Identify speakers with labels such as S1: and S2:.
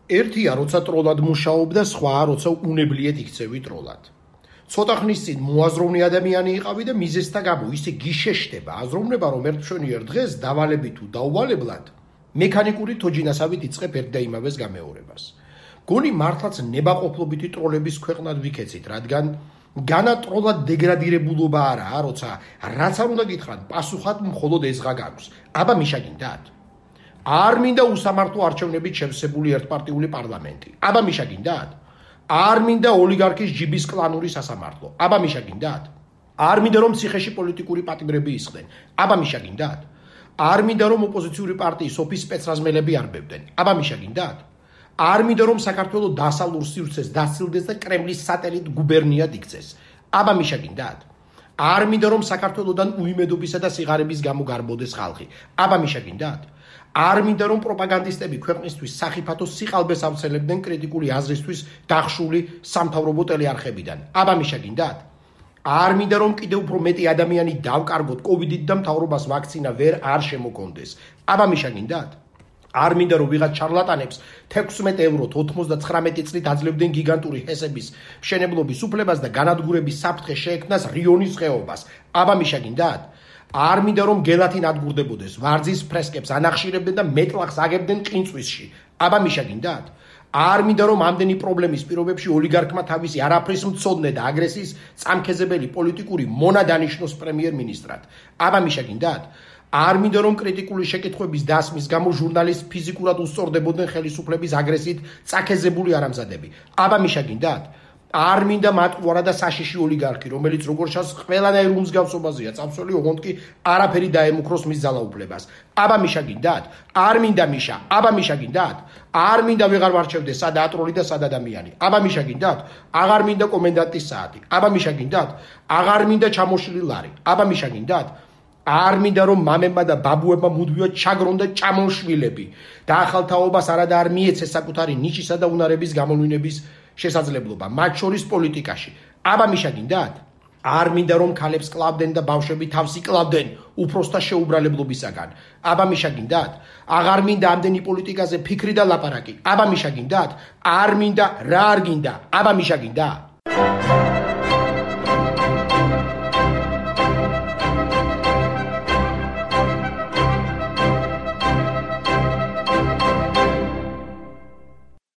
S1: ერთია, როცა ტროლად მუშაობ და სხვაა, როცა უნებლიეთ იქცევი ტროლად. ცოტა ხნის წინ მოაზროვნე ადამიანი იყავი და მიზეზთა გამო ისე გიშეშდება აზროვნება, რომ ერთშვენიერ დღეს დავალები თუ დაუვალებლად მექანიკური თოჯინასავით იწყებ ერთ და იმავეს გამეორებას. გონი მართლაც ნებაყოფლობითი ტროლების ქვეყნად ვიქეცით, რადგან განა ტროლად დეგრადირებულობა არაა, როცა რაც არ უნდა გითხრათ, პასუხად მხოლოდ ეზღა გაქვს. აბა მიშაგინდათ? არ მინდა უსამართლო არჩევნებით შევსებული ერთპარტიული პარლამენტი. აბა მიშაგინდათ? არ მინდა ოლიგარქის ჯიბის კლანური სასამართლო. აბა მიშაგინდათ? არ მინდა რომ ციხეში პოლიტიკური პატიმრები ისხდნენ. აბა მიშაგინდათ? არ მინდა რომ ოპოზიციური პარტიის ოფის სპეცრაზმელები არბევდნენ. აბა მიშაგინდათ? არ მინდა რომ საქართველოს დასავლურ სივრცეს დასცილდეს და კრემლის სატელიტ გუბერნიად იქცეს. აბა მიშაგინდათ? არ მინდა რომ საქართველოსდან უიმედობისა და სიღარიბის გამო გარბოდეს ხალხი. აბა მიშაგინდათ? არ მინდა რომ პროპაგანდისტები ქვეყნისთვის სახიფათო სიყალბეს ავცელებდნენ კრიტიკული აზრისთვის დახშული სამთავრობო ტელეარხებიდან. აბა მიშაგინდათ? არ მინდა რომ კიდევ უფრო მეტი ადამიანი დავკარგოთ კოვიდით და მთავრობას ვაქცინა ვერ არ შემოგონდეს. აბა მიშაგინდათ? არ მინდა რომ ვიღაც ჩარლატანებს 16 ევროთ 99 წლით აძლევდნენ გიგანტური ჰესების მშენებლობის უფლებას და განადგურების საფრთხე შეექმნას რიონის ხეობას. აბა მიშაგინდათ? არ მინდა რომ გელათი ნადგურდებოდეს, ვარძის ფრესკებს ანახშირებდნენ და მეტლახს აგებდნენ ყინწვისში. აბა მიშაგინდათ? არ მინდა რომ ამდენი პრობლემის პირობებში ოლიგარქმა თავისი არაფრის მცოდნე და აგრესიის წამქეზებელი პოლიტიკური მონა დანიშნოს პრემიერ-მინისტრად. აბა მიშაგინდათ? არ მინდა რომ კრიტიკული შეკითხვების დასმის გამო ჟურნალისტ ფიზიკურად უსწორდებოდნენ ხელისუფლების აგრესიით წაქეზებული არამზადები. აბა მიშაგინდათ? არ მინდა მატყუარა და საშიში ოლიგარქი, რომელიც როგორც ჩანს ყველანაირ უმსგავსობაზეა წამსვლელი, ოღონდ კი არაფერი დაემუქროს მის ძალაუფლებას. აბა მიშაგინდათ? არ მინდა მიშა. აბა მიშაგინდათ? არ მინდა ვეღარ ვარჩევდეს სადა ატროლი და სადა ადამიანი. აბა მიშაგინდათ? აღარ მინდა კომენდანტის საათი. აბა მიშაგინდათ? აღარ მინდა ჩამოშლილი ლარი. აბა მიშაგინდათ? არ მინდა რომ მამებმა და ბაბუებმა მუდმივად ჩაგრონ და ჭამონ შვილები. დაახალთაობას არადა არ მიეცეს საკუთარი ნიშისა და უნარების გამოვლინების შესაძლებლობა, მათ შორის პოლიტიკაში. აბა მიშაგინდათ? არ მინდა რომ ქალებს კლავდნენ და ბავშვები თავს იკლავდნენ უფროსთა შეუბრალებლობისაგან. აბა მიშაგინდათ? აღარ მინდა ამდენი პოლიტიკაზე ფიქრი და ლაპარაკი. აბა მიშაგინდათ? არ მინდა, რა არ გინდა? აბა მიშაგინდათ?